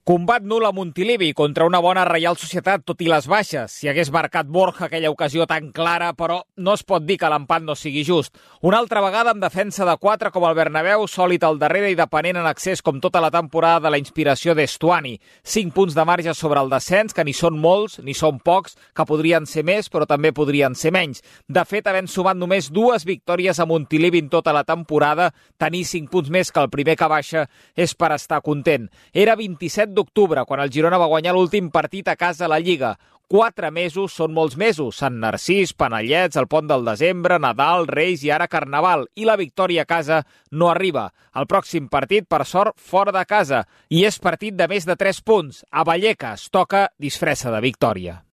Combat nul a Montilivi contra una bona Reial Societat, tot i les baixes. Si hagués marcat Borja aquella ocasió tan clara, però no es pot dir que l'empat no sigui just. Una altra vegada amb defensa de 4 com el Bernabéu, sòlid al darrere i depenent en accés com tota la temporada de la inspiració d'Estuani. 5 punts de marge sobre el descens, que ni són molts ni són pocs, que podrien ser més però també podrien ser menys. De fet, havent sumat només 2 victòries a Montilivi en tota la temporada, tenir 5 punts més que el primer que baixa és per estar content. Era 27 d'octubre, quan el Girona va guanyar l'últim partit a casa a la Lliga. 4 mesos són molts mesos. Sant Narcís, Panellets, el Pont del Desembre, Nadal, Reis i ara Carnaval. I la victòria a casa no arriba. El pròxim partit, per sort, fora de casa. I és partit de més de 3 punts. A Vallecas toca disfressa de victòria.